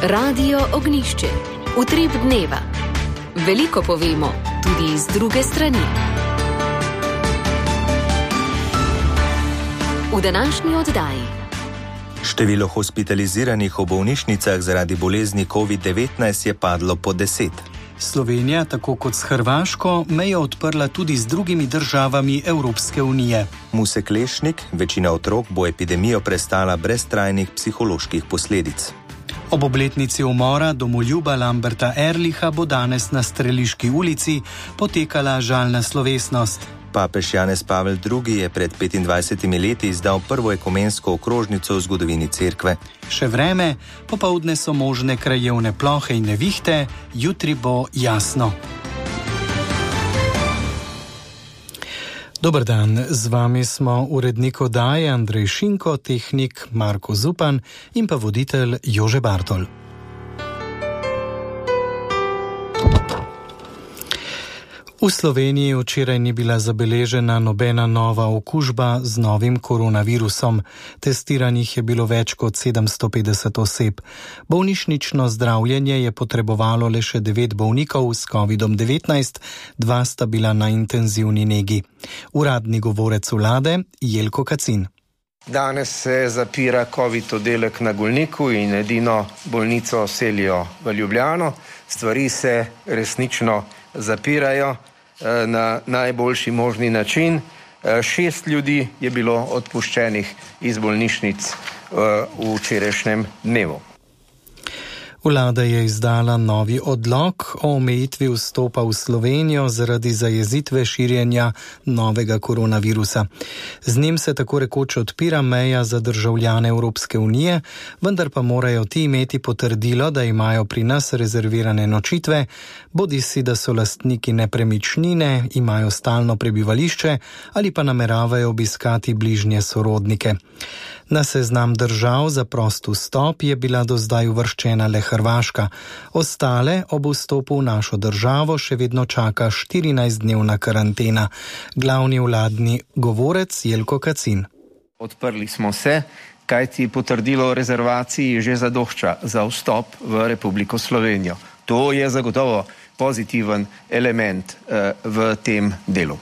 Radio Ognjišče. Utrip dneva. Veliko povemo, tudi iz druge strani. V današnji oddaji. Število hospitaliziranih v bolnišnicah zaradi bolezni COVID-19 je padlo pod 10. Slovenija, tako kot s Hrvaško, mejo odprla tudi z drugimi državami Evropske unije. Muse Klešnik, večina otrok bo epidemijo prestala brez trajnih psiholoških posledic. Ob obletnici umora domoljuba Lamberta Ehrlicha bo danes na Streliški ulici potekala žalna slovesnost. Papež Janez Pavel II. Je pred 25 leti izdal prvo ekumensko okrožnico v zgodovini cerkve. Še vreme, popoldne so možne krajevne plohe in nevihte, jutri bo jasno. Dober dan, z vami smo urednik oddaje Andrej Šinko, tehnik Marko Zupan in pa voditelj Jože Bartol. V Sloveniji včeraj ni bila zabeležena nobena nova okužba z novim koronavirusom. Testiranih je bilo več kot 750 oseb. Bolnišnično zdravljenje je potrebovalo le še 9 bolnikov s COVID-19, 2 sta bila na intenzivni negi. Uradni govorec vlade Jelko Kacin. Danes se zapira COVID oddelek na Golniku in edino bolnico selijo v Ljubljano. Stvari se resnično zapirajo na najboljši možni način. 6 ljudi je bilo odpuščenih iz bolnišnic v včerajšnjem dnevu. Vlada je izdala novi odlok o omejitvi vstopa v Slovenijo zaradi zajezitve širjenja novega koronavirusa. Z njim se tako rekoč odpira meja za državljane Evropske unije, vendar pa morajo ti imeti potrdilo, da imajo pri nas rezervirane nočitve, bodisi da so lastniki nepremičnine, imajo stalno prebivališče ali pa nameravajo obiskati bližnje sorodnike. Na seznam držav za prost vstop je bila do zdaj uvrščena le Hrvaška. Ostale ob vstopu v našo državo še vedno čaka 14-dnevna karantena. Glavni vladni govorec Jelko Kacin. Odprli smo se, kajti potrdilo o rezervaciji že zadošča za vstop v Republiko Slovenijo. To je zagotovo pozitiven element v tem delu.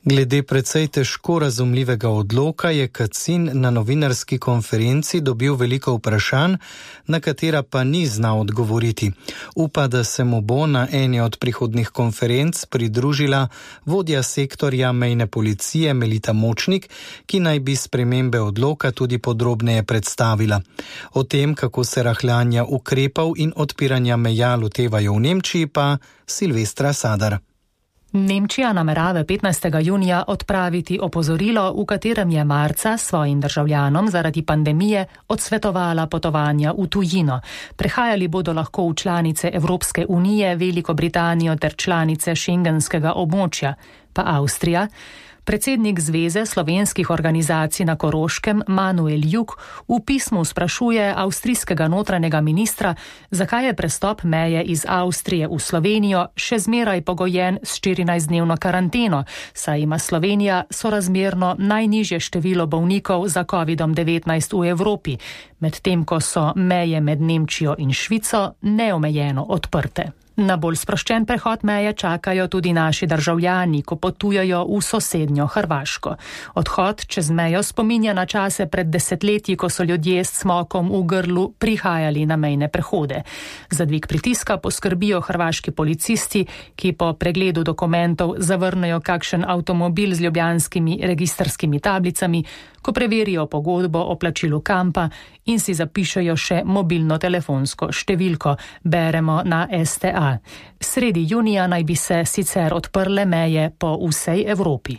Glede precej težko razumljivega odloka je Kacin na novinarski konferenci dobil veliko vprašanj, na katera pa ni znal odgovoriti. Upa, da se mu bo na eni od prihodnjih konferenc pridružila vodja sektorja mejne policije Melita Močnik, ki naj bi spremembe odloka tudi podrobneje predstavila. O tem, kako se rahljanja ukrepov in odpiranja meja lotevajo v Nemčiji, pa Silvestra Sadar. Nemčija namerava 15. junija odpraviti opozorilo, v katerem je marca svojim državljanom zaradi pandemije odsvetovala potovanja v tujino. Prehajali bodo lahko v članice Evropske unije, Veliko Britanijo ter članice šengenskega območja, pa Avstrija. Predsednik Zveze slovenskih organizacij na Koroškem, Manuel Juk, v pismu sprašuje avstrijskega notranjega ministra, zakaj je prestop meje iz Avstrije v Slovenijo še zmeraj pogojen s 14-dnevno karanteno, saj ima Slovenija sorazmerno najnižje število bolnikov za COVID-19 v Evropi, medtem ko so meje med Nemčijo in Švico neomejeno odprte. Na bolj sproščen prehod meje čakajo tudi naši državljani, ko potujejo v sosednjo Hrvaško. Odhod čez mejo spominja na čase pred desetletji, ko so ljudje s cmokom v grlu prihajali na mejne prehode. Za dvig pritiska poskrbijo hrvaški policisti, ki po pregledu dokumentov zavrnejo kakšen avtomobil z ljubljanskimi registrskimi tablicami, ko preverijo pogodbo o plačilu kampa in si zapišejo še mobilno telefonsko številko, beremo na STA. Sredi junija naj bi se sicer odprle meje po vsej Evropi.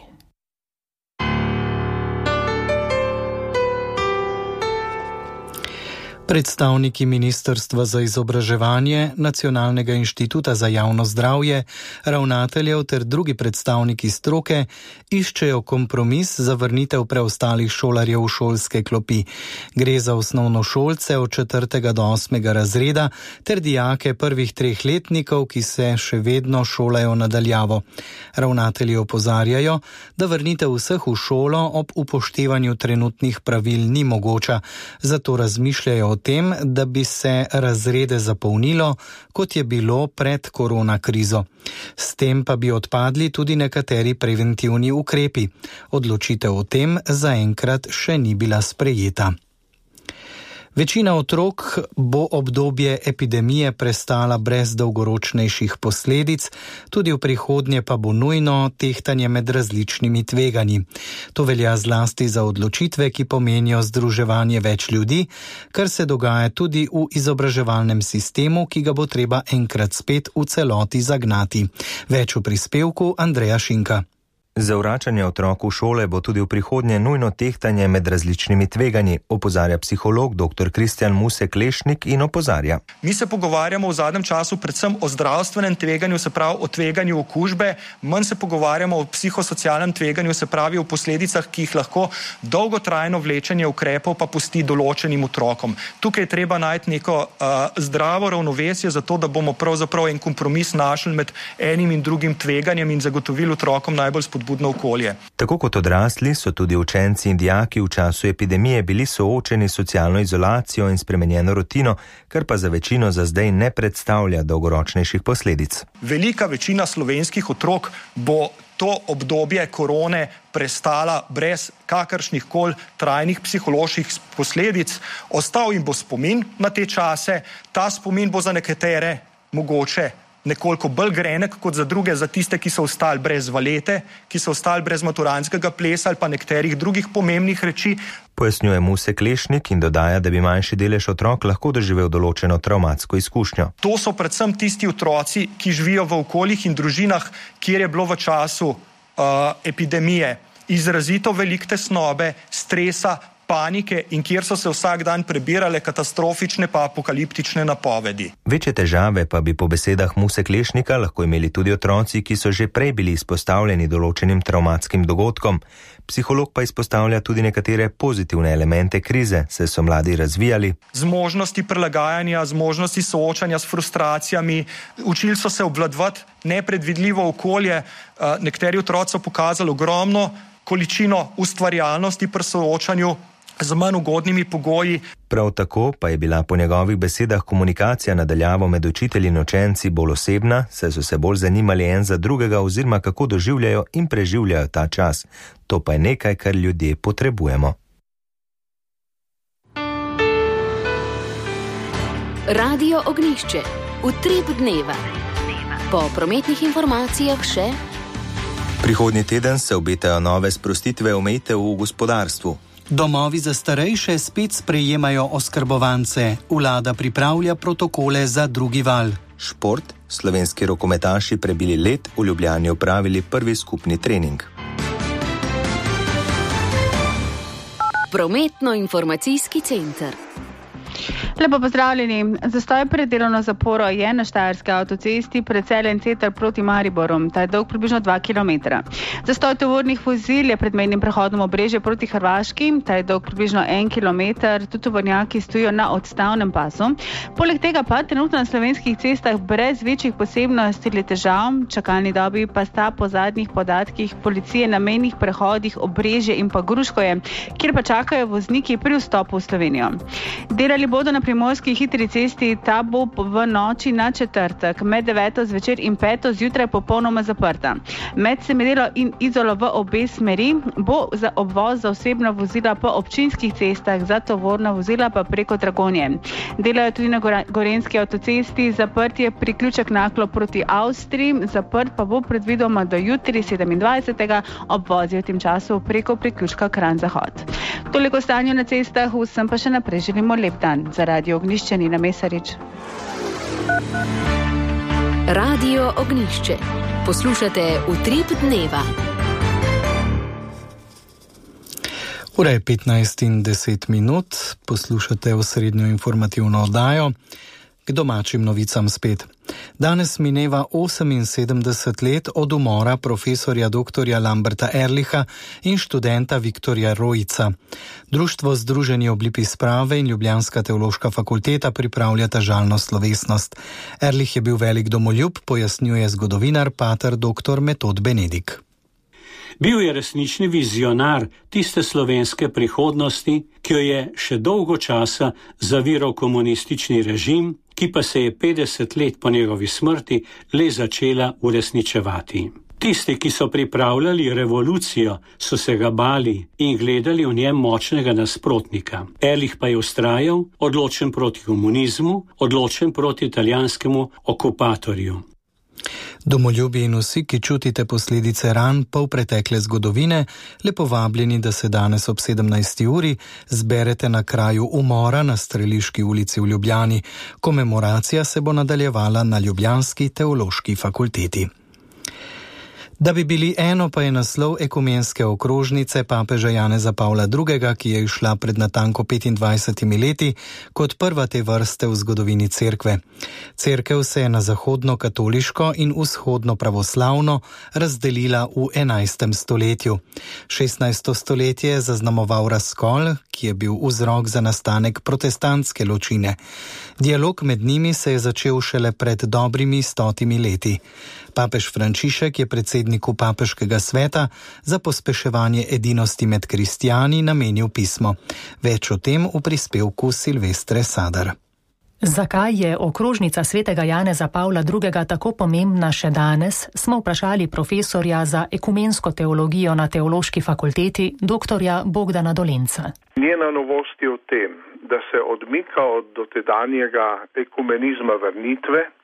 Predstavniki Ministrstva za izobraževanje, Nacionalnega inštituta za javno zdravje, ravnateljev ter drugi predstavniki stroke iščejo kompromis za vrnitev preostalih šolarjev v šolske klopi. Gre za osnovnošolce od 4. do 8. razreda ter dijake prvih 3 letnikov, ki se še vedno šolajo nadaljavo. Ravnatelji opozarjajo, da vrnitev vseh v šolo ob upoštevanju trenutnih pravil ni mogoča, zato razmišljajo o tem, da bi se razrede zapolnilo, kot je bilo pred korona krizo. S tem pa bi odpadli tudi nekateri preventivni ukrepi. Odločitev o tem zaenkrat še ni bila sprejeta. Večina otrok bo obdobje epidemije prestala brez dolgoročnejših posledic, tudi v prihodnje pa bo nujno tehtanje med različnimi tveganji. To velja zlasti za odločitve, ki pomenijo združevanje več ljudi, kar se dogaja tudi v izobraževalnem sistemu, ki ga bo treba enkrat spet v celoti zagnati. Več v prispevku Andreja Šinka. Za vračanje otrok v šole bo tudi v prihodnje nujno tehtanje med različnimi tveganji, opozarja psiholog dr. Kristjan Musek Lešnik in opozarja. Mi se pogovarjamo v zadnjem času predvsem o zdravstvenem tveganju, se pravi o tveganju okužbe, manj se pogovarjamo o psihosocialnem tveganju, se pravi o posledicah, ki jih lahko dolgotrajno vlečenje ukrepov pa pusti določenim otrokom. Tukaj je treba najti neko zdravo ravnovesje, zato da bomo pravzaprav en kompromis našli med enim in drugim tveganjem in zagotovili otrokom najbolj budno okolje. Tako kot odrasli so tudi učenci in dijaki v času epidemije bili soočeni s socialno izolacijo in spremenjeno rutino, kar pa za večino za zdaj ne predstavlja dolgoročnejših posledic. Velika večina slovenskih otrok bo to obdobje korone prestala brez kakršnih koli trajnih psiholoških posledic. Ostal jim bo spomin na te čase, ta spomin bo za nekatere mogoče nekoliko bolj grenek kot za druge, za tiste, ki so ostali brez valete, ki so ostali brez maturantskega plesa ali pa nekaterih drugih pomembnih reči. Pojasnjuje Musek Lešnik in dodaja, da bi manjši delež otrok lahko doživel določeno travmatsko izkušnjo. To so predvsem tisti otroci, ki živijo v okoljih in družinah, kjer je bilo v času epidemije izrazito veliko tesnobe, stresa, panike in kjer so se vsak dan prebirale katastrofične pa apokaliptične napovedi. Večje težave pa bi po besedah Musek Lešnika lahko imeli tudi otroci, ki so že prej bili izpostavljeni določenim travmatskim dogodkom. Psiholog pa izpostavlja tudi nekatere pozitivne elemente krize, saj so mladi razvijali zmožnosti prilagajanja, zmožnosti soočanja s frustracijami, učili so se obvladovati nepredvidljivo okolje. Nekateri otroci so pokazali ogromno količino ustvarjalnosti pri soočanju z manj ugodnimi pogoji. Prav tako pa je bila po njegovih besedah komunikacija na daljavo med učitelji in učenci bolj osebna, saj so se bolj zanimali en za drugega oziroma kako doživljajo in preživljajo ta čas. To pa je nekaj, kar ljudje potrebujemo. Radio Ognjišče. Utrip dneva. Po prometnih informacijah še. Prihodnji teden se obetajo nove sprostitve omejitev v gospodarstvu. Domovi za starejše spet sprejemajo oskrbovance. Vlada pripravlja protokole za drugi val. Šport. Slovenski rokometaši prebili led, v Ljubljani opravili prvi skupni trening. Prometno-informacijski center. Lepo pozdravljeni. Zastoj pred delovno zaporo je na Štajerski avtocesti pred Celjem Center proti Mariboru. Ta je dolg približno 2 km. Zastoj tovornih vozil je pred mejnim prehodom Obrežje proti Hrvaški. Ta je dolg približno 1 km. Tudi tovornjaki stojijo na odstavnem pasu. Poleg tega pa trenutno na slovenskih cestah brez večjih posebnosti ali težav. Čakalni dobi pa sta po zadnjih podatkih policije na mejnih prehodih Obrežje in pa Gruškoje, kjer pa čakajo vozniki pri vstopu v Slovenijo. Delali bodo na primorski hitri cesti, ta bo v noči na četrtek med 9. zvečer in 5. zjutraj popolnoma zaprta. Med Semedelo in Izolo v obe smeri bo za obvoz za osebna vozila po občinskih cestah, za tovorna vozila pa preko Dragonje. Delajo tudi na Gorenjski avtocesti, zaprt je priključek Naklo proti Avstriji, zaprt pa bo predvidoma do jutri 27. obvoz je v tem času preko priključka Kranj Zahod. Toliko stanje na cestah, vsem pa še naprej želimo lep dan. Za Radio Ognjišče Nina Mesarič. Radio Ognjišče. Poslušate Utrip dneva. Ura je 15:10. Poslušate osrednjo informativno oddajo. K domačim novicam spet. Danes mineva 78 let od umora profesorja dr. Lamberta Erlicha in študenta Viktorja Rojca. Društvo Združeni oblipi sprave in Ljubljanska teološka fakulteta pripravljata žalno slovesnost. Erlich je bil velik domoljub, pojasnjuje zgodovinar pater dr. Metod Benedik. Bil je resnični vizionar tiste slovenske prihodnosti, ki jo je še dolgo časa zaviral komunistični režim, ki pa se je 50 let po njegovi smrti le začela uresničevati. Tisti, ki so pripravljali revolucijo, so se ga bali in gledali v njem močnega nasprotnika. Ehrlich pa je vztrajal, odločen proti komunizmu, odločen proti italijanskemu okupatorju. Domoljubi in vsi, ki čutite posledice ran polpretekle zgodovine, lepo vabljeni, da se danes ob 17. uri zberete na kraju umora na Streliški ulici v Ljubljani. Komemoracija se bo nadaljevala na Ljubljanski teološki fakulteti. Da bi bili eno, pa je naslov ekumenske okrožnice papeža Janeza Pavla II., ki je išla pred natanko 25 leti kot prva te vrste v zgodovini cerkve. Cerkev se je na zahodno-katoliško in vzhodno pravoslavno razdelila v 11. stoletju. 16. stoletje je zaznamoval razkol, ki je bil vzrok za nastanek protestantske ločine. Dialog med njimi se je začel šele pred dobrimi 100 leti. Papež Frančišek je predsedniku Papeškega sveta za pospeševanje edinosti med kristijani namenil pismo. Več o tem v prispevku Silvestre Sadar. Zakaj je okrožnica svetega Janeza Pavla II. Tako pomembna še danes, smo vprašali profesorja za ekumensko teologijo na Teološki fakulteti, doktorja Bogdana Dolenca. Njena novost je v tem, da se odmika od dotedanjega ekumenizma vrnitve,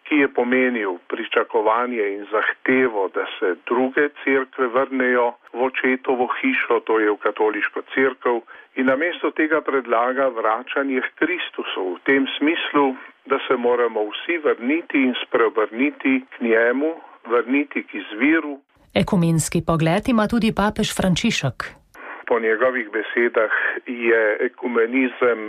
ki je pomenil pričakovanje in zahtevo, da se druge cerkve vrnejo v očetovo hišo, to je v katoliško cerkev, in namesto tega predlaga vračanje k Kristusu v tem smislu, da se moramo vsi vrniti in spreobrniti k njemu, vrniti k izviru. Ekumenski pogled ima tudi papež Frančišek. Po njegovih besedah je ekumenizem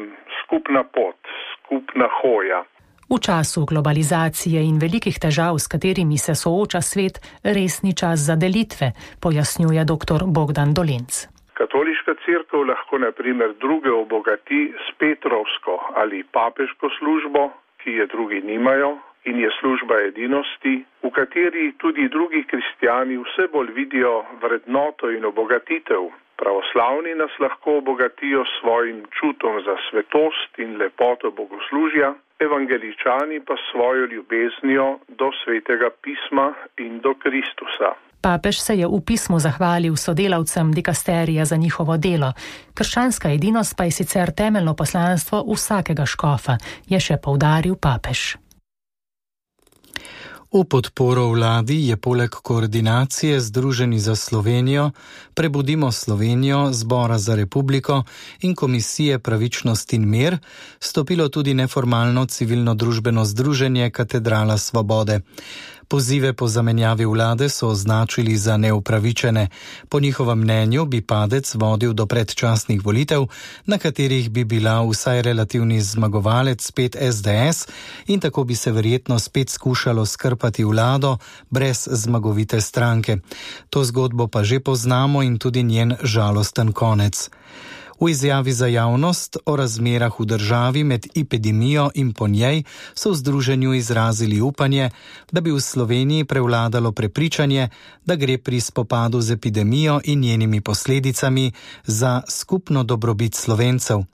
skupna pot, skupna hoja. V času globalizacije in velikih težav, s katerimi se sooča svet, res ni čas za delitve, pojasnjuje dr. Bogdan Dolenc. Katoliška cerkev lahko na primer druge obogati s Petrovsko ali papeško službo, ki je drugi nimajo, in je služba edinosti, v kateri tudi drugi kristijani vse bolj vidijo vrednoto in obogatitev. Pravoslavni nas lahko obogatijo s svojim čutom za svetost in lepoto bogoslužja, evangeličani pa svojo ljubeznijo do svetega pisma in do Kristusa. Papež se je v pismu zahvalil sodelavcem dikasterija za njihovo delo. Krščanska edinost pa je sicer temeljno poslanstvo vsakega škofa, je še poudaril papež. V podporo vladi je poleg koordinacije Združeni za Slovenijo, Prebudimo Slovenijo, Zbora za republiko in Komisije Pravičnost in mir stopilo tudi neformalno civilno-družbeno združenje Katedrala Svobode. Pozive po zamenjavi vlade so označili za neupravičene. Po njihovem mnenju bi padec vodil do predčasnih volitev, na katerih bi bila vsaj relativni zmagovalec spet SDS in tako bi se verjetno spet skušalo skrpati vlado brez zmagovite stranke. To zgodbo pa že poznamo in tudi njen žalosten konec. V izjavi za javnost o razmerah v državi med epidemijo in po njej so v združenju izrazili upanje, da bi v Sloveniji prevladalo prepričanje, da gre pri spopadu z epidemijo in njenimi posledicami za skupno dobrobit Slovencev.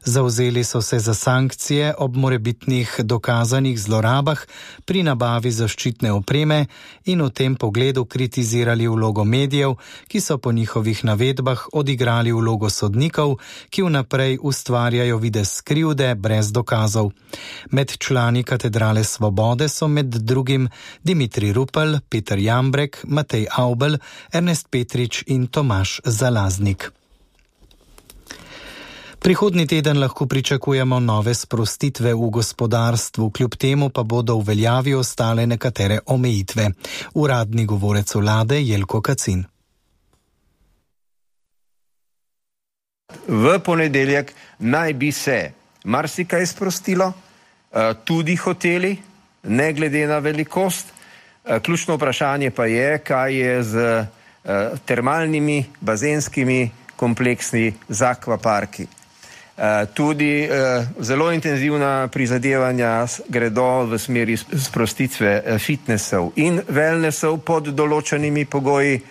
Zavzeli so se za sankcije ob morebitnih dokazanih zlorabah pri nabavi zaščitne opreme in v tem pogledu kritizirali vlogo medijev, ki so po njihovih navedbah odigrali vlogo sodnikov, ki vnaprej ustvarjajo videz krivde brez dokazov. Med člani Katedrale Svobode so med drugim Dimitrij Rupel, Peter Jambrek, Matej Avbelj, Ernest Petrič in Tomaž Zalaznik. Prihodnji teden lahko pričakujemo nove sprostitve v gospodarstvu, kljub temu pa bodo v veljavi ostale nekatere omejitve. Uradni govorec vlade Jelko Kacin. V ponedeljek naj bi se marsikaj sprostilo, tudi hoteli, ne glede na velikost. Ključno vprašanje pa je, kaj je z termalnimi, bazenskimi kompleksi z akvaparki. Tudi zelo intenzivna prizadevanja gredo v smeri sprostitve fitnessov in wellnessov pod določenimi pogoji,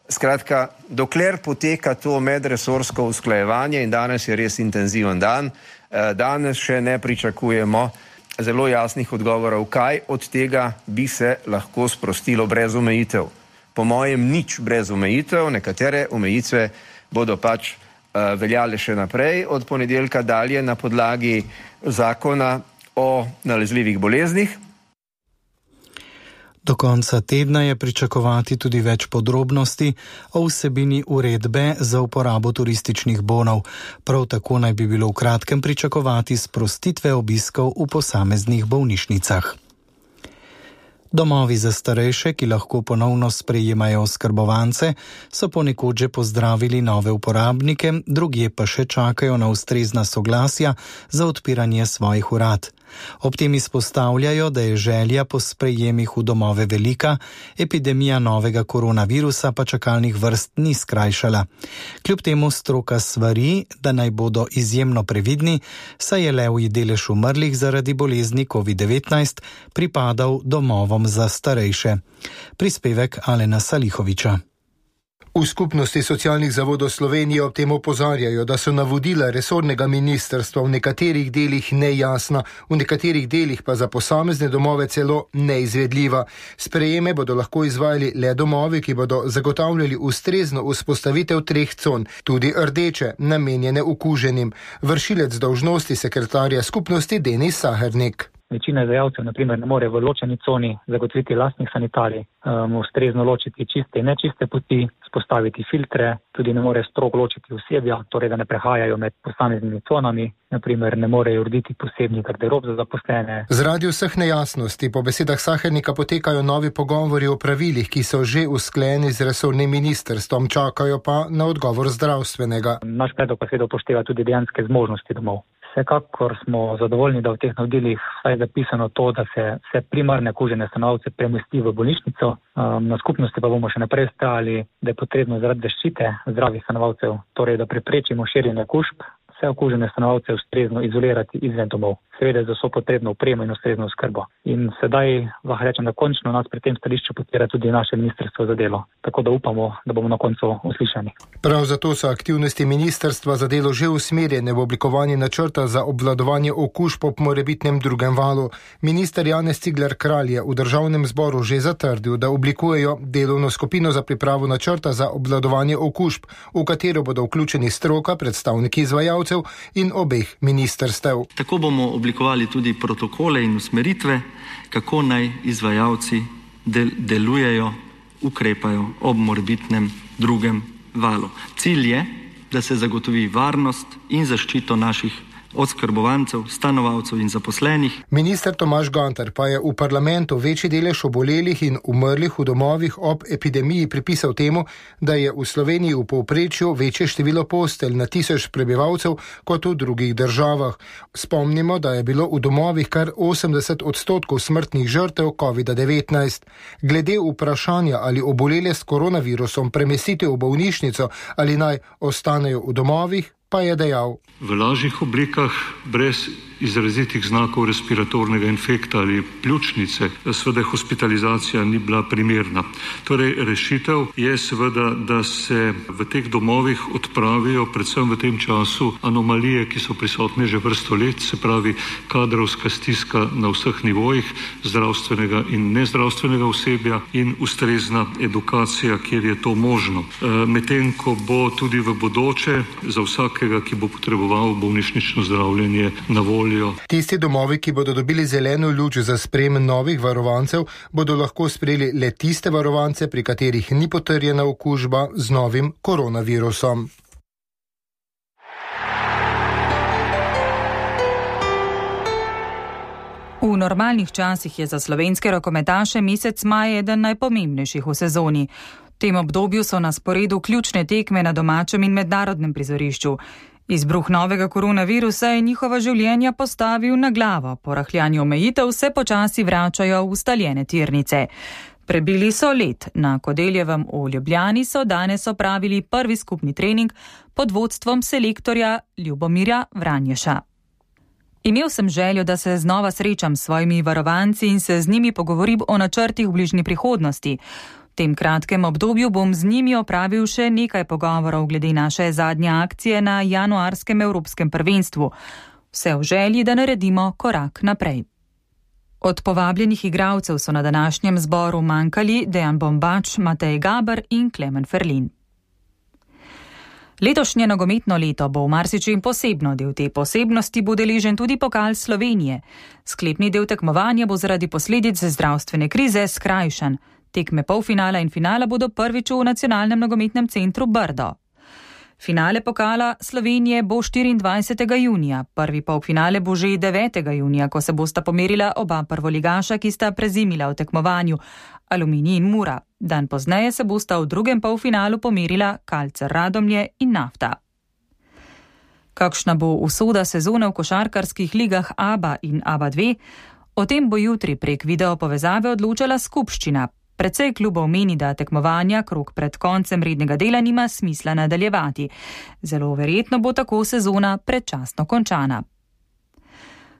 Skratka, dokler poteka to medresorsko usklajevanje in danes je res intenziven dan, danes še ne pričakujemo zelo jasnih odgovorov, kaj od tega bi se lahko sprostilo brez omejitev. Po mojem nič brez omejitev, nekatere omejitve bodo pač veljale še naprej od ponedeljka dalje na podlagi zakona o nalezljivih boleznih. Do konca tedna je pričakovati tudi več podrobnosti o vsebini uredbe za uporabo turističnih bonov. Prav tako naj bi bilo v kratkem pričakovati sprostitve obiskov v posameznih bolnišnicah. Domovi za starejše, ki lahko ponovno sprejemajo oskrbovance, so ponekod že pozdravili nove uporabnike, drugje pa še čakajo na ustrezna soglasja za odpiranje svojih urad. Ob tem izpostavljajo, da je želja po sprejemih v domove velika, epidemija novega koronavirusa pa čakalnih vrst ni skrajšala. Kljub temu stroka svari, da naj bodo izjemno previdni, saj je levji delež umrlih zaradi bolezni COVID-19 pripadal domovom za starejše. Prispevek Alena Salihoviča. V Skupnosti socialnih zavodov Slovenije ob tem opozarjajo, da so navodila resornega ministrstva v nekaterih delih nejasna, v nekaterih delih pa za posamezne domove celo neizvedljiva. Sprejeme bodo lahko izvajali le domovi, ki bodo zagotavljali ustrezno vzpostavitev 3 con, tudi rdeče, namenjene okuženim. Vršilec dolžnosti sekretarja skupnosti Denis Sahernik. Večina izvajalcev, na primer, ne more v ločeni coni zagotoviti lastnih sanitarij, ustrezno ločiti čiste in nečiste poti, spostaviti filtre, tudi ne more strogo ločiti osebja, torej da ne prehajajo med posameznimi conami, na primer ne morejo urediti posebnih garderob za zaposlene. Zaradi vseh nejasnosti po besedah Sahernika potekajo novi pogovori o pravilih, ki so že usklajeni z resornim ministrstvom, čakajo pa na odgovor zdravstvenega. Naš predlog pa seveda upošteva tudi dejanske zmožnosti domov. Vsekakor smo zadovoljni, da v teh navodilih je zapisano to, da se vse primarne okužene stanovalce premesti v bolnišnico. Na skupnosti pa bomo še naprej stajali, da je potrebno zaradi zaščite zdravih stanovalcev, torej da preprečimo širjenje okužb, vse okužene stanovalce ustrezno izolirati izven domov. Seveda za vso potrebno opremo in ustrezno oskrbo. In sedaj lahko rečem, da končno nas pri tem stališču podpira tudi naše ministrstvo za delo. Tako da upamo, da bomo na koncu uslišani. Prav zato so aktivnosti ministrstva za delo že usmerjene v oblikovanje načrta za obvladovanje okužb ob morebitnem drugem valu. Minister Janez Cigler Kralj je v državnem zboru že zatrdil, da oblikujejo delovno skupino za pripravo načrta za obvladovanje okužb, v katero bodo vključeni stroka, predstavniki izvajalcev in obeh ministrstev. Tako bomo oblikovali tudi protokole in usmeritve, kako naj izvajalci delujejo, ukrepajo ob morebitnem drugem valu. Cilj je, da se zagotovi varnost in zaščito naših oskrbovancev, stanovalcev in zaposlenih. Minister Tomaž Gantar pa je v parlamentu večji delež obolelih in umrlih v domovih ob epidemiji pripisal temu, da je v Sloveniji v povprečju večje število postelj na 1000 prebivalcev kot v drugih državah. Spomnimo, da je bilo v domovih kar 80% smrtnih žrtev COVID-19. Glede vprašanja, ali obolele s koronavirusom premestiti v bolnišnico ali naj ostanejo v domovih, pa je dejal. V lažjih oblikah, brez izrazitih znakov respiratornega infekta ali pljučnice, seveda hospitalizacija ni bila primerna. Torej, rešitev je seveda, da se v teh domovih odpravijo predvsem v tem času anomalije, ki so prisotne že vrsto let, se pravi kadrovska stiska na vseh nivojih zdravstvenega in nezdravstvenega osebja in ustrezna edukacija, kjer je to možno. Medtem ko bo tudi v bodoče za vsakega, ki bo potreboval bolnišnično zdravljenje, na voljo. Tisti domovi, ki bodo dobili zeleno luč za sprejem novih varovancev, bodo lahko sprejeli le tiste varovance, pri katerih ni potrjena okužba z novim koronavirusom. V normalnih časih je za slovenske rokometaše mesec maj eden najpomembnejših v sezoni. V tem obdobju so na sporedu ključne tekme na domačem in mednarodnem prizorišču. Izbruh novega koronavirusa je njihova življenja postavil na glavo. Po rahljanju omejitev se počasi vračajo v ustaljene tirnice. Prebili so led. Na Kodeljevem v Ljubljani so danes opravili prvi skupni trening pod vodstvom selektorja Ljubomirja Vranješa. Imel sem željo, da se znova srečam s svojimi varovanci in se z njimi pogovorim o načrtih v bližnji prihodnosti. V tem kratkem obdobju bom z njimi opravil še nekaj pogovorov glede naše zadnje akcije na januarskem Evropskem prvenstvu. Vse v želji, da naredimo korak naprej. Od povabljenih igralcev so na današnjem zboru manjkali Dejan Bombač, Matej Gaber in Klemen Ferlin. Letošnje nogometno leto bo v marsičem posebno. Del te posebnosti bo deležen tudi pokal Slovenije. Sklepni del tekmovanja bo zaradi posledic zdravstvene krize skrajšan. Tekme polfinala in finala bodo prvič v nacionalnem nogometnem centru Brdo. Finale pokala Slovenije bo 24. junija, prvi polfinale bo že 9. junija, ko se bosta pomerila oba prvoligaša, ki sta prezimila v tekmovanju, Aluminij in Mura. Dan pozneje se bosta v drugem polfinalu pomerila Kalcer Radomlje in Nafta. Kakšna bo usoda sezone v košarkarskih ligah ABA in ABA 2? O tem bo jutri prek video povezave odločala skupščina. Precej klubov meni, da tekmovanja krog pred koncem rednega dela nima smisla nadaljevati. Zelo verjetno bo tako sezona predčasno končana.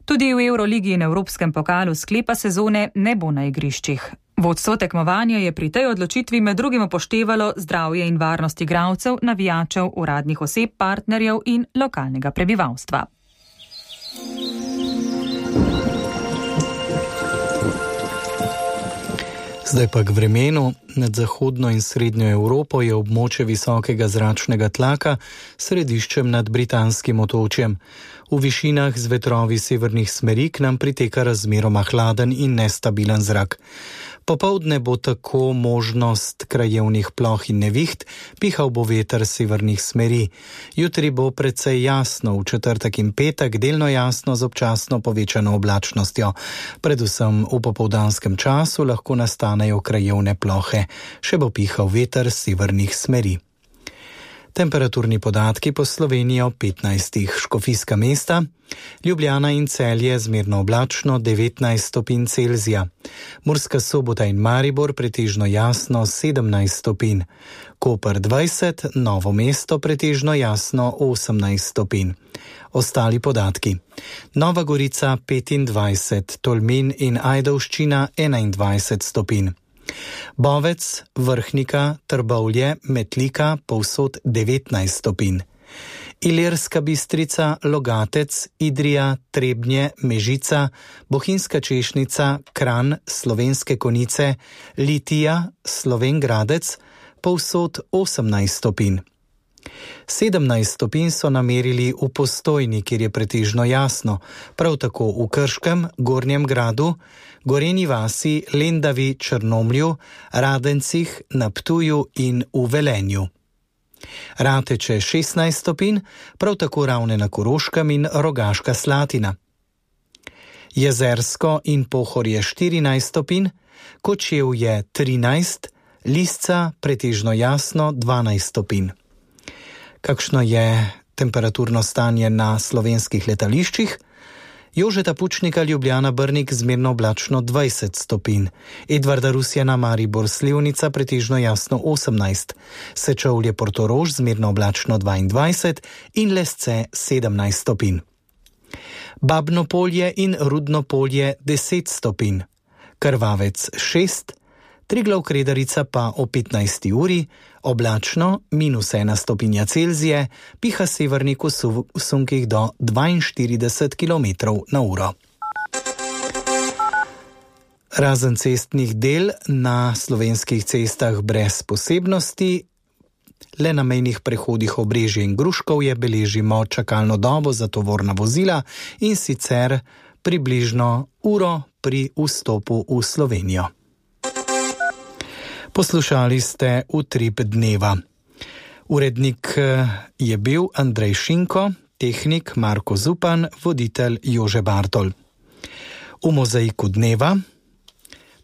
Tudi v Euroligi in Evropskem pokalu sklepa sezone ne bo na igriščih. Vodstvo tekmovanja je pri tej odločitvi med drugim upoštevalo zdravje in varnost igralcev, navijačev, uradnih oseb, partnerjev in lokalnega prebivalstva. Zdaj pa k vremenu. Nad zahodno in srednjo Evropo je območje visokega zračnega tlaka s središčem nad britanskim otočjem. V višinah z vetrovi severnih smeri k nam priteka razmeroma hladen in nestabilen zrak. Popoldne bo tako možnost krajevnih ploh in neviht, pihal bo veter severnih smeri. Jutri bo precej jasno, v četrtek in petek delno jasno z občasno povečano oblačnostjo. Predvsem v popoldanskem času lahko nastanejo krajevne plohe. Še bo pihal veter severnih smeri. Temperaturni podatki po Sloveniji o 15. Škofijska mesta, Ljubljana in Celje zmerno oblačno 19 stopinj Celzija, Murska Sobota in Maribor pretežno jasno 17 stopinj, Koper 20, Novo mesto pretežno jasno 18 stopinj. Ostali podatki: Nova Gorica 25, Tolmin in Ajdovščina 21 stopinj. Bovec, Vrhnika, Trbovlje, Metlika, povsod 19 stopinj. Ilirska Bistrica, Logatec, Idrija, Trebnje, Mežica, Bohinjska Češnica, Kranj, Slovenske Konjice, Litija, Slovenj Gradec, povsod 18 stopinj. 17 stopinj so namerili v Postojni, kjer je pretežno jasno, prav tako v Krškem, Gornjem Gradu, Gorenji vasi, Lendavi, Črnomlju, Radencih, na Ptuju in v Velenju. Rateče 16 stopinj, prav tako Ravne na Koroškem in Rogaška Slatina. Jezersko in Pohorje 14 stopinj, Kočevje 13, Lisca pretežno jasno 12 stopinj. Kakšno je temperaturno stanje na slovenskih letališčih? Jožeta Pučnika Ljubljana Brnik zmerno oblačno 20 stopinj, Edvarda Rusjana Maribor Slivnica pretežno jasno 18, Sečovlje Portorož zmerno oblačno 22 in Lesce 17 stopinj. Babno Polje in Rudno Polje 10 stopinj, Krvavec 6, Triglav Kredarica pa o 15. uri, oblačno -1 stopinja Celzije, piha severnik v sunkih do 42 km/h. Razen cestnih del na slovenskih cestah brez posebnosti, le na mejnih prehodih Obrežje in Gruškovje beležimo čakalno dobo za tovorna vozila in sicer približno uro pri vstopu v Slovenijo. Poslušali ste Utrip dneva. Urednik je bil Andrej Šinko, tehnik Marko Zupan, voditelj Jože Bartol. V mozaiku dneva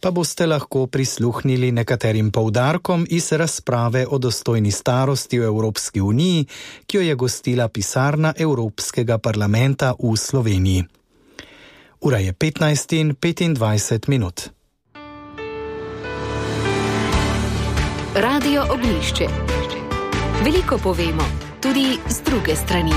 pa boste lahko prisluhnili nekaterim poudarkom iz razprave o dostojni starosti v Evropski uniji, ki jo je gostila pisarna Evropskega parlamenta v Sloveniji. Ura je 15:25. Radio Oglišče. Veliko povemo, tudi z druge strani.